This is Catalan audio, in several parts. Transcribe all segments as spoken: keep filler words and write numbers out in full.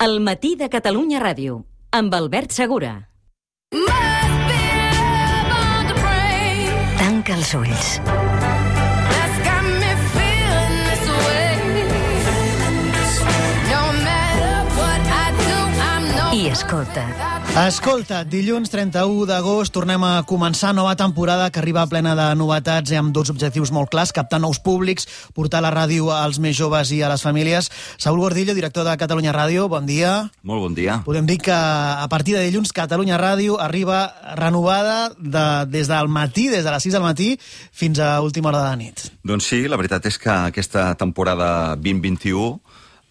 El matí de Catalunya Ràdio, amb Albert Segura. Tanca els ulls. I escolta. Escolta, dilluns trenta-u d'agost tornem a començar nova temporada que arriba plena de novetats i amb dos objectius molt clars: captar nous públics, portar la ràdio als més joves i a les famílies. Saúl Gordillo, director de Catalunya Ràdio, bon dia. Molt bon dia. Podem dir que a partir de dilluns Catalunya Ràdio arriba renovada de, des del matí, des de les sis del matí fins a última hora de la nit. Doncs sí, la veritat és que aquesta temporada vint vint-i-u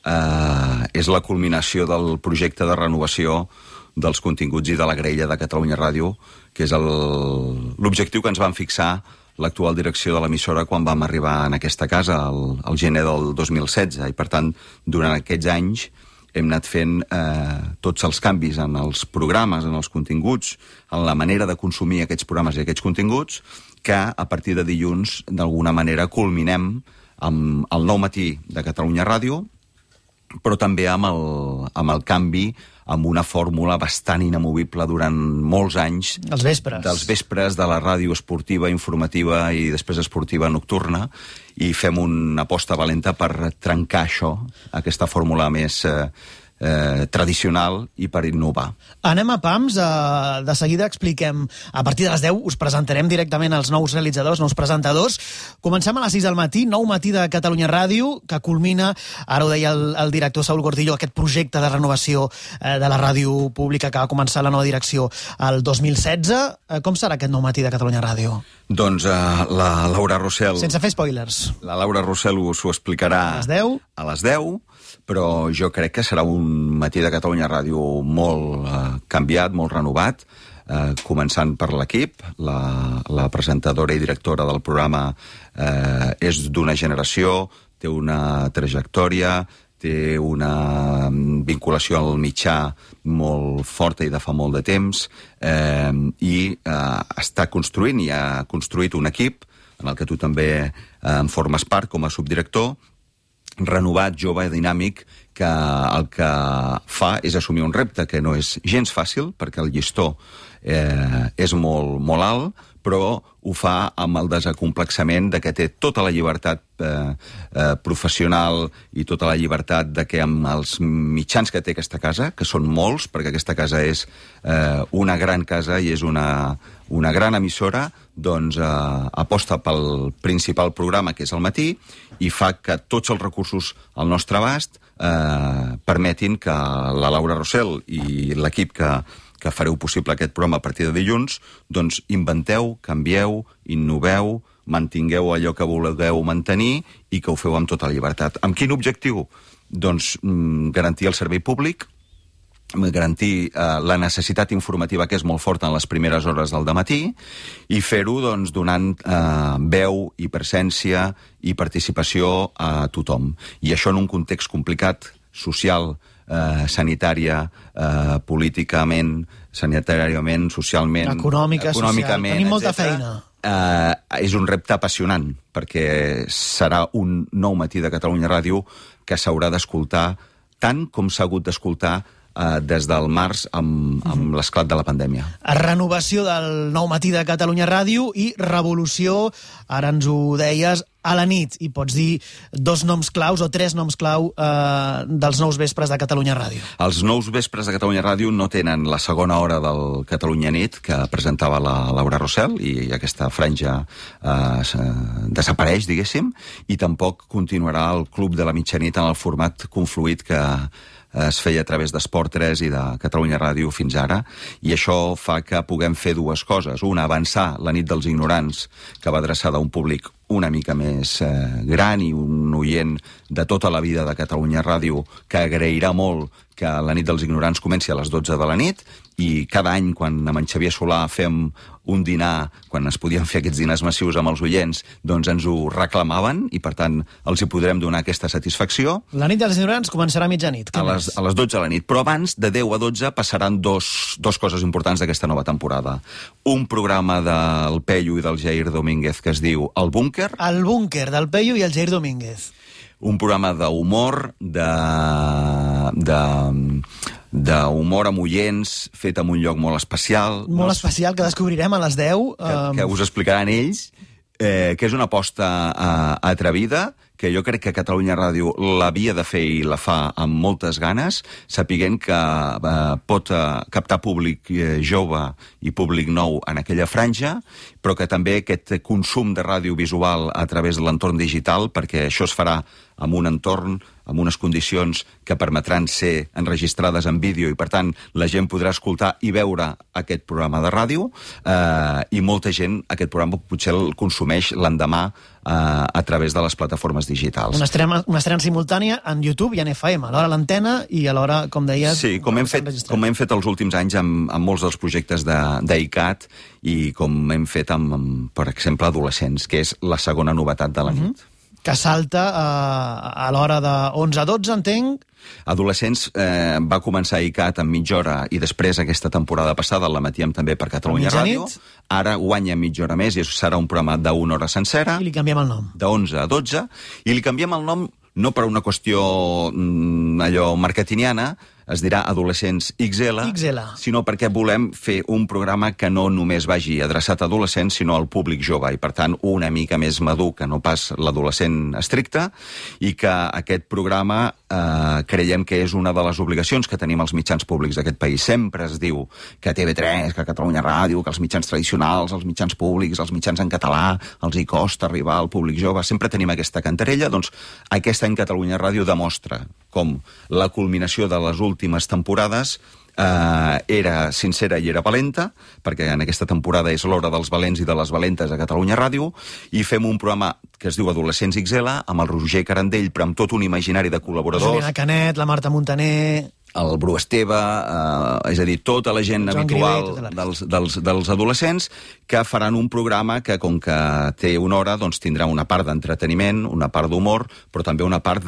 eh, és la culminació del projecte de renovació dels continguts i de la graella de Catalunya Ràdio, que és l'objectiu que ens van fixar l'actual direcció de l'emissora quan vam arribar en aquesta casa, el, el gener del dos mil setze, i per tant, durant aquests anys hem anat fent eh, tots els canvis en els programes, en els continguts, en la manera de consumir aquests programes i aquests continguts, que a partir de dilluns, d'alguna manera, culminem amb el nou matí de Catalunya Ràdio, però també amb el, amb el canvi, amb una fórmula bastant inamovible durant molts anys. Els vespres. Dels vespres de la ràdio esportiva, informativa i després esportiva nocturna, i fem una aposta valenta per trencar això, aquesta fórmula més eh, eh, tradicional, i per innovar. Anem a pams, eh, de seguida expliquem, a partir de les deu us presentarem directament els nous realitzadors, nous presentadors. Comencem a les sis del matí, nou matí de Catalunya Ràdio, que culmina, ara ho deia el, el director Saúl Gordillo, aquest projecte de renovació eh, de la ràdio pública que va començar la nova direcció el dos mil setze. Eh, com serà aquest nou matí de Catalunya Ràdio? Doncs eh, la Laura Rossell... Sense fer spoilers. La Laura Rossell us ho explicarà a les deu, a les deu, però jo crec que serà un matí de Catalunya Ràdio molt eh, canviat, molt renovat, eh, començant per l'equip. La, la presentadora i directora del programa eh, és d'una generació, té una trajectòria, té una vinculació al mitjà molt forta i de fa molt de temps, eh, i eh, està construint i ha construït un equip en el que tu també eh, en formes part com a subdirector, renovat, jove i dinàmic, que el que fa és assumir un repte que no és gens fàcil, perquè el llistó eh, és molt, molt alt, però ho fa amb el desacomplexament de que té tota la llibertat eh, eh, professional i tota la llibertat de que amb els mitjans que té aquesta casa, que són molts, perquè aquesta casa és eh, una gran casa i és una, una gran emissora, doncs eh, aposta pel principal programa, que és el matí, i fa que tots els recursos al nostre abast eh, permetin que la Laura Rossell i l'equip que que fareu possible aquest programa a partir de dilluns, doncs inventeu, canvieu, innoveu, mantingueu allò que vulgueu mantenir i que ho feu amb tota la llibertat. Amb quin objectiu? Doncs mm, garantir el servei públic, garantir eh, la necessitat informativa, que és molt forta en les primeres hores del dematí, i fer-ho doncs, donant eh, veu i presència i participació a tothom. I això en un context complicat, social, Eh, sanitària, eh, políticament, sanitàriament, socialment... Econòmica, econòmicament, social. Tenim molta etcètera. feina. Eh, és un repte apassionant, perquè serà un nou matí de Catalunya Ràdio que s'haurà d'escoltar tant com s'ha hagut d'escoltar eh, des del març amb, amb mm-hmm. l'esclat de la pandèmia. Renovació del nou matí de Catalunya Ràdio i revolució, ara ens ho deies, a la nit, i pots dir dos noms claus o tres noms clau eh, dels nous vespres de Catalunya Ràdio. Els nous vespres de Catalunya Ràdio no tenen la segona hora del Catalunya Nit, que presentava la Laura Rossell, i aquesta franja eh, desapareix, diguéssim, i tampoc continuarà el Club de la Mitjanit en el format confluït que es feia a través d'Esport tres i de Catalunya Ràdio fins ara, i això fa que puguem fer dues coses. Una, avançar la nit dels ignorants, que va adreçada a un públic una mica més eh, gran i un oient de tota la vida de Catalunya Ràdio, que agrairà molt que la nit dels ignorants comenci a les dotze de la nit, i cada any, quan amb en Xavier Solà fem un dinar, quan es podien fer aquests dinars massius amb els oients, doncs ens ho reclamaven, i per tant els hi podrem donar aquesta satisfacció. La nit dels ignorants començarà a mitjanit. A les, a les dotze de la nit, però abans, de deu a dotze, passaran dos, dos coses importants d'aquesta nova temporada. Un programa del Peyu i del Jair Domínguez que es diu El Búnquer. El Búnquer, del Peyu i el Jair Domínguez. un programa d'humor, de... de d'humor amb oients, fet en un lloc molt especial. Molt no? especial, que descobrirem a les deu. Que, que us explicaran ells, eh, que és una aposta eh, atrevida, que jo crec que Catalunya Ràdio l'havia de fer i la fa amb moltes ganes, sapiguent que eh, pot eh, captar públic eh, jove i públic nou en aquella franja, però que també aquest consum de ràdio visual a través de l'entorn digital, perquè això es farà amb un entorn, amb unes condicions que permetran ser enregistrades en vídeo i, per tant, la gent podrà escoltar i veure aquest programa de ràdio eh, i molta gent aquest programa potser el consumeix l'endemà eh, a través de les plataformes digitals. Una estrena, una estrena simultània en YouTube i en F M, alhora a l'antena i alhora, com deies... Sí, com hem fet, com hem fet els últims anys amb, amb molts dels projectes d'ICAT i com hem fet amb, amb, per exemple, adolescents, que és la segona novetat de la nit. Mm-hmm. Que salta eh, a l'hora de onze a dotze, entenc. Adolescents eh, va començar a ICAT en mitja hora i després aquesta temporada passada l'emetíem també per Catalunya Ràdio. Ara guanya mitja hora més i serà un programa d'una hora sencera. I li canviem el nom. d'onze a dotze. I li canviem el nom no per una qüestió mm, allò marketingiana, es dirà Adolescents X L, X L, sinó perquè volem fer un programa que no només vagi adreçat a adolescents, sinó al públic jove, i per tant una mica més madur que no pas l'adolescent estricte, i que aquest programa eh, creiem que és una de les obligacions que tenim els mitjans públics d'aquest país. Sempre es diu que T V tres, que Catalunya Ràdio, que els mitjans tradicionals, els mitjans públics, els mitjans en català, els hi costa arribar al públic jove, sempre tenim aquesta cantarella. Doncs aquest any Catalunya Ràdio demostra com la culminació de les últimes temporades eh, era sincera i era valenta, perquè en aquesta temporada és l'hora dels valents i de les valentes a Catalunya Ràdio, i fem un programa que es diu Adolescents X L, amb el Roger Carandell, però amb tot un imaginari de col·laboradors. La Juliana Canet, la Marta Montaner... el Bru Esteve, eh, és a dir, tota la gent habitual Grivet, dels, dels, dels adolescents, que faran un programa que, com que té una hora, doncs tindrà una part d'entreteniment, una part d'humor, però també una part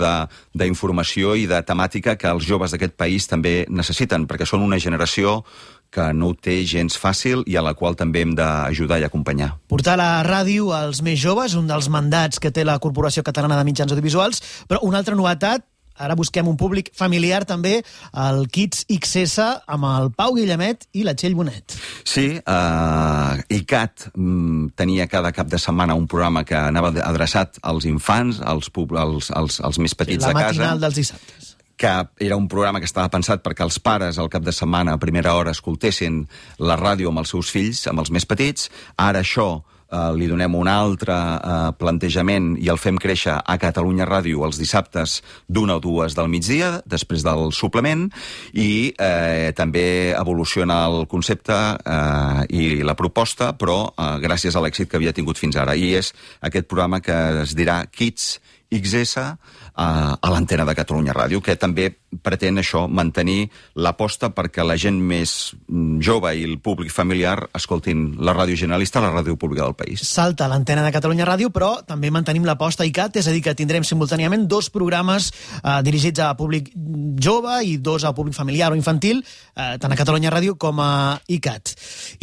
d'informació i de temàtica que els joves d'aquest país també necessiten, perquè són una generació que no ho té gens fàcil i a la qual també hem d'ajudar i acompanyar. Portar la ràdio als més joves, un dels mandats que té la Corporació Catalana de Mitjans Audiovisuals, però una altra novetat, ara busquem un públic familiar també, el Kids X S amb el Pau Guillemet i la Txell Bonet. Sí, uh, ICAT mm, tenia cada cap de setmana un programa que anava adreçat als infants, als, als, als, als més petits sí, de casa. La matinal dels dissabtes. Que era un programa que estava pensat perquè els pares al cap de setmana a primera hora escoltessin la ràdio amb els seus fills, amb els més petits. Ara això Uh, li donem un altre uh, plantejament i el fem créixer a Catalunya Ràdio els dissabtes d'una o dues del migdia, després del suplement, i eh, també evoluciona el concepte eh, i la proposta, però eh, gràcies a l'èxit que havia tingut fins ara. I és aquest programa que es dirà Kids X S eh, a l'antena de Catalunya Ràdio, que també pretén això, mantenir l'aposta perquè la gent més jove i el públic familiar escoltin la ràdio generalista, la ràdio pública del país. Salta l'antena de Catalunya Ràdio, però també mantenim l'aposta ICAT, és a dir, que tindrem simultàniament dos programes eh, dirigits a públic jove i dos a públic familiar o infantil, eh, tant a Catalunya Ràdio com a ICAT.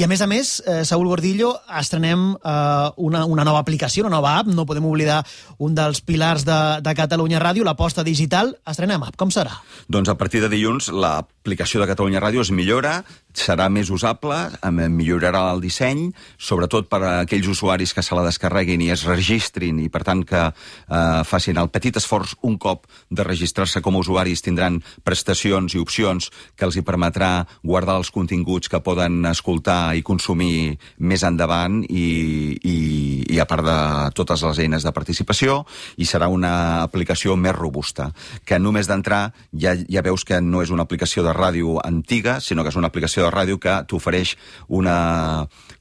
I a més a més, eh, Saúl Gordillo, estrenem eh, una, una nova aplicació, una nova app, no podem oblidar un dels pilars de, de Catalunya Ràdio, l'aposta digital. Estrenem app, com serà? Doncs a partir de dilluns l'aplicació de Catalunya Ràdio es millora, serà més usable, millorarà el disseny, sobretot per a aquells usuaris que se la descarreguin i es registrin i, per tant, que eh, facin el petit esforç un cop de registrar-se com a usuaris, tindran prestacions i opcions que els hi permetrà guardar els continguts que poden escoltar i consumir més endavant i, i, i a part de totes les eines de participació, i serà una aplicació més robusta, que només d'entrar ja, ja veus que no és una aplicació de ràdio antiga, sinó que és una aplicació de ràdio que t'ofereix un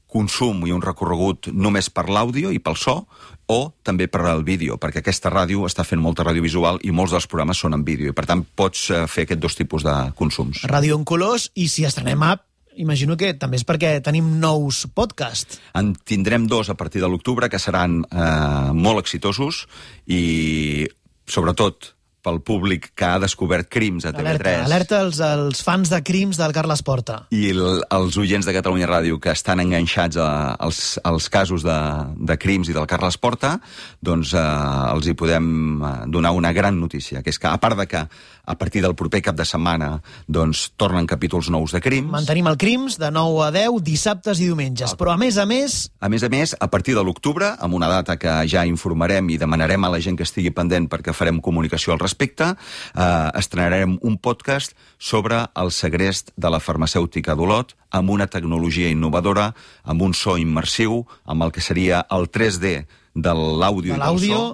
consum i un recorregut només per l'àudio i pel so, o també per al vídeo, perquè aquesta ràdio està fent molta ràdio visual i molts dels programes són en vídeo, i per tant pots fer aquests dos tipus de consums. Ràdio en colors, i si estrenem app, imagino que també és perquè tenim nous podcasts. En tindrem dos a partir de l'octubre que seran eh, molt exitosos i, sobretot, pel públic que ha descobert Crims a T V tres. Alerta, alerta els, els fans de Crims del Carles Porta. I el, els oients de Catalunya Ràdio que estan enganxats a, als, als casos de, de Crims i del Carles Porta, doncs eh, els hi podem donar una gran notícia, que és que, a part de que a partir del proper cap de setmana doncs, tornen capítols nous de Crims... Mantenim el Crims de nou a deu, dissabtes i diumenges. Però, a més a més... A més a més, a partir de l'octubre, amb una data que ja informarem i demanarem a la gent que estigui pendent perquè farem comunicació al respecte, respecte, eh, estrenarem un podcast sobre el segrest de la farmacèutica d'Olot amb una tecnologia innovadora, amb un so immersiu, amb el que seria el tres D de l'àudio i del so,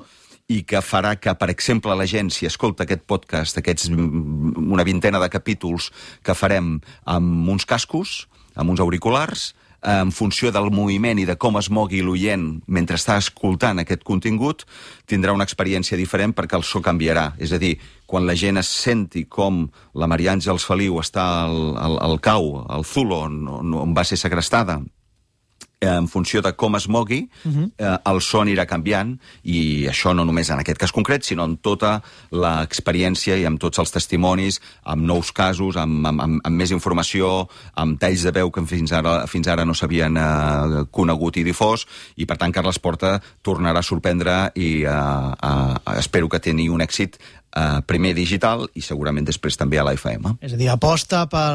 i que farà que, per exemple, la gent, si escolta aquest podcast, aquests una vintena de capítols que farem amb uns cascos, amb uns auriculars, en funció del moviment i de com es mogui l'oient mentre està escoltant aquest contingut, tindrà una experiència diferent perquè el so canviarà. És a dir, quan la gent es senti com la Maria Àngels Feliu està al, al, al cau, al Zulo, on, on va ser segrestada, en funció de com es mogui, uh-huh. eh, el so anirà canviant, i això no només en aquest cas concret, sinó en tota l'experiència i amb tots els testimonis, amb nous casos, amb, amb, amb, amb més informació, amb talls de veu que fins ara, fins ara no s'havien eh, conegut i difós, i per tant Carles Porta tornarà a sorprendre i eh, eh, espero que tingui un èxit Uh, primer digital i segurament després també a l'A F M. És a dir, aposta per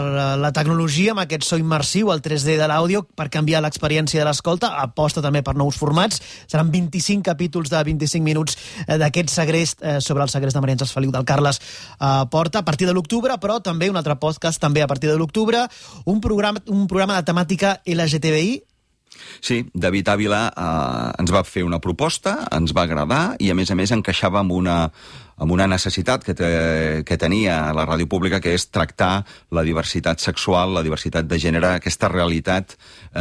la tecnologia amb aquest so immersiu, el tres D de l'àudio, per canviar l'experiència de l'escolta, aposta també per nous formats. Seran vint-i-cinc capítols de vint-i-cinc minuts d'aquest segrest eh, sobre el segrest de Maria Àngels Feliu del Carles eh, Porta a partir de l'octubre, però també un altre podcast també a partir de l'octubre, un programa, un programa de temàtica L G T B I. Sí, David Ávila eh, ens va fer una proposta, ens va agradar i a més a més encaixava amb una amb una necessitat que, te, que tenia la ràdio pública, que és tractar la diversitat sexual, la diversitat de gènere, aquesta realitat eh,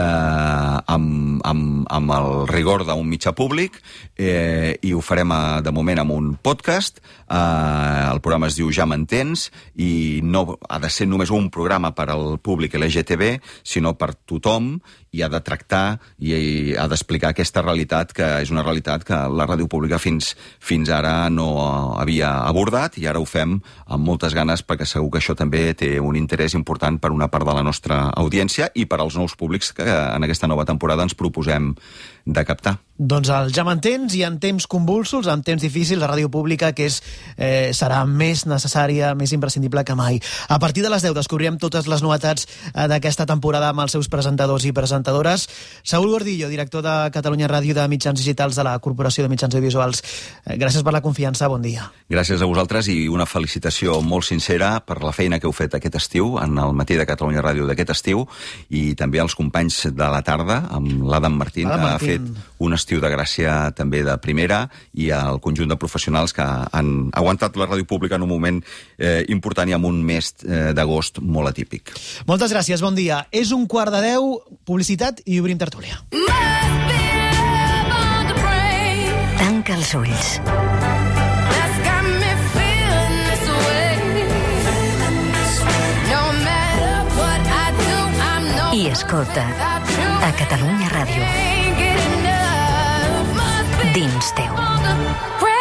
amb, amb, amb el rigor d'un mitjà públic, eh, i ho farem a, de moment amb un podcast. Eh, el programa es diu Ja m'entens, i no ha de ser només un programa per al públic L G T B, sinó per tothom, i ha de tractar i, i ha d'explicar aquesta realitat, que és una realitat que la ràdio pública fins, fins ara no havia abordat, i ara ho fem amb moltes ganes perquè segur que això també té un interès important per una part de la nostra audiència i per als nous públics que en aquesta nova temporada ens proposem de captar. Doncs el Ja m'entens, i en temps convulsos, en temps difícils, la ràdio pública que és, eh, serà més necessària, més imprescindible que mai. A partir de les deu descobrirem totes les novetats eh, d'aquesta temporada amb els seus presentadors i presentadores. Saúl Gordillo, director de Catalunya Ràdio de Mitjans Digitals de la Corporació de Mitjans Audiovisuals. Eh, gràcies per la confiança, bon dia. Gràcies a vosaltres i una felicitació molt sincera per la feina que heu fet aquest estiu, en el matí de Catalunya Ràdio d'aquest estiu, i també als companys de la tarda, amb l'Adam Martín, que ha fet un estiu de gràcia també de primera, i al conjunt de professionals que han aguantat la ràdio pública en un moment eh, important i amb un mes eh, d'agost molt atípic. Moltes gràcies, bon dia. És un quart de deu, publicitat i obrim tertúlia. Tanca els ulls. I escolta a Catalunya Ràdio. Dins teu.